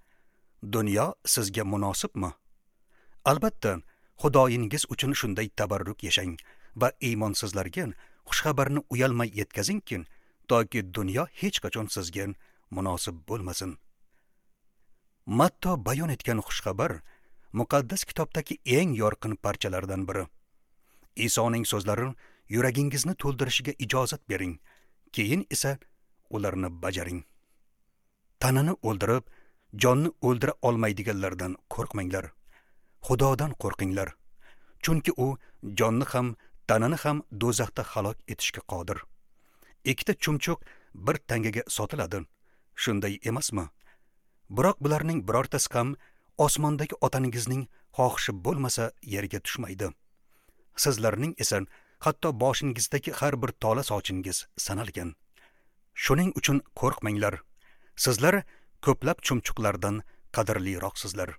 Dunyo sizga munosibmi? Albatta, Xudoyingiz uchun shunday tabarruk yashang va iymonsizlarga xushxabarni uyalmay yetkazingki, toki dunyo hech qachon sizga munosib bo'lmasin. Matto bayon etgan xushxabar muqaddas kitobdagi eng yorqin parchalardan biri. Isoning so'zlari yuragingizni to'ldirishiga ijozat bering, keyin esa ularni bajaring. Tanani o'ldirib, Jonni o'ldira olmaydiganlardan qo'rqmanglar. Xudodan qo'rqinglar. Chunki u jonni ham, tanani ham do'zaxda halok etishga qodir. Ikkita chumchuq bir tangaga sotiladi. Shunday emasmi? Biroq bularning birortasi ham osmondagi otangizning xohishi bo'lmasa yerga tushmaydi. Sizlarning esa hatto boshingizdagi har bir tola sochingiz sanalgan. Shuning uchun qo'rqmanglar. Sizlar ko'plab chumchuqlardan qadrliroqsizlar.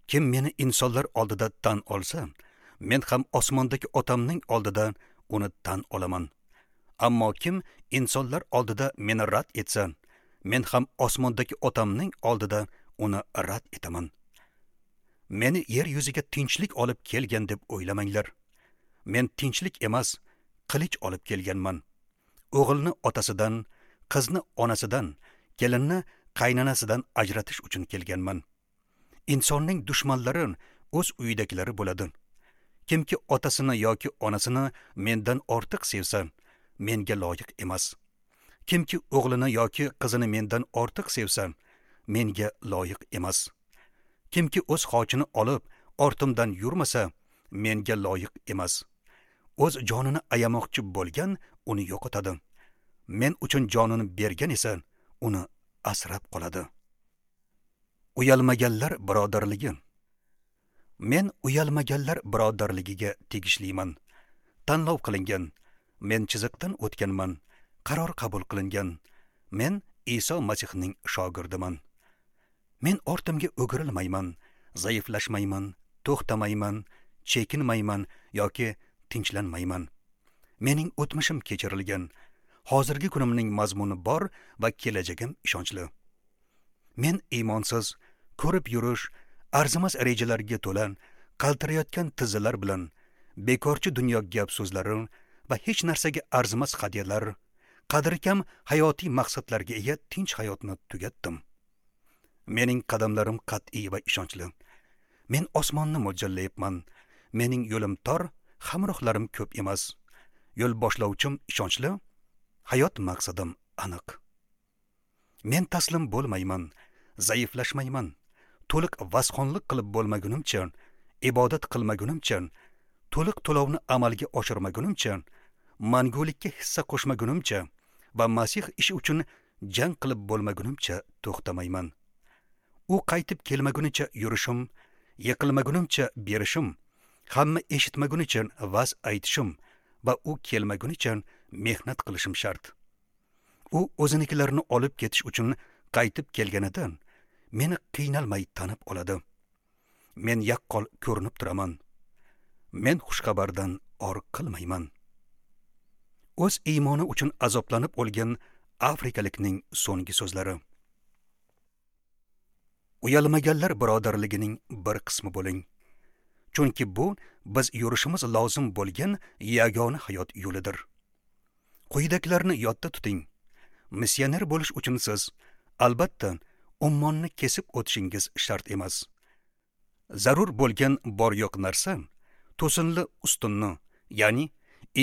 Kim meni insonlar oldida tan olsa, men ham osmondagi otamning oldida uni tan olaman. Ammo kim insonlar oldida meni rad etsa, men ham osmondagi otamning oldida uni rad etaman. Meni yer yuziga tinchlik olib kelgan deb o'ylamanglar. Men tinchlik emas, qilich olib kelganman. O'g'ilni otasidan, qizni onasidan, kelinni qaynonasidan ajratish uchun kelganman. Insonning dushmanlari o'z uyidagilari bo'ladi. Kimki otasini yoki onasini mendan ortiq sevsa, menga loyiq emas. Kimki o'g'lini yoki qizini mendan ortiq sevsa, menga loyiq emas. Kimki o'z xochini olib ortimdan yurmasa, menga loyiq emas. O'z jonini ayamoqchi bo'lgan uni yo'qotadi. Men uchun jonini bergan esa uni asrab qoladi. Uyalmaganlar birodarligi. Men uyalmaganlar birodarligiga tegishliman. Tanlov qilingan. Men chiziqdan o'tganman. Qaror qabul qilingan. Men Iso Masihning shogirdiman. Men ortimga o'girilmayman, zaiflashmayman, to'xtamayman, chekinmayman yoki tinchlanmayman. Mening o'tmishim kechirilgan. Hozirgi kunimning mazmuni bor va kelajagim ishonchli. Men iymonsiz, ko'rib yurish, arzimas rejalarga to'la, qaltirayotgan tizzalar bilan bekorchi dunyo gap so'zlari va hech narsaga arzimas hadyalar, qadri kam hayotiy maqsadlarga ega tinch hayotni tugatdim. Mening qadamlarim qat'iy va ishonchli. Men osmonni mo'ljallayapman. Mening yo'lim tor, hamrohlarim ko'p emas. Yo'l boshlovchim ishonchli, hayot maqsadim aniq. Men taslim bo'lmayman, zaiflashmayman. To'liq vazxonlik qilib bo'lmagunimcha, ibodat qilmagunimcha, to'liq to'lovni amalga oshirmagunimcha, mangulikka hissa qo'shmagunimcha va Masih ishi uchun jang qilib bo'lmagunimcha to'xtamayman. U qaytib kelmagunicha yurishim, yiqilmagunimcha berishim, hamma eshitmagunicha vaz aytishim va u kelmagunicha mehnat qilishim shart. U o'zinikilarini olib ketish uchun qaytib kelganidan meni qiynalmay tanib oladi. Men yaqqol ko'rinib turaman. Men xushxabardan or qilmayman. O'z iymoni uchun azoblanib o'lgan afrikalikning so'nggi so'zlari. Uyalmaganlar birodarligining bir qismi bo'ling. Chunki bu biz yurishimiz lozim bo'lgan yagona hayot yo'lidir. Quyidagilarni yodda tuting. Missioner bo'lish uchun siz albatta ummonni kesib o'tishingiz shart emas. Zarur bo'lgan bor yo'q narsa to'sinli ustunni, ya'ni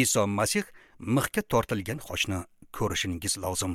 Iso Masih mixga tortilgan xochni ko'rishingiz lozim.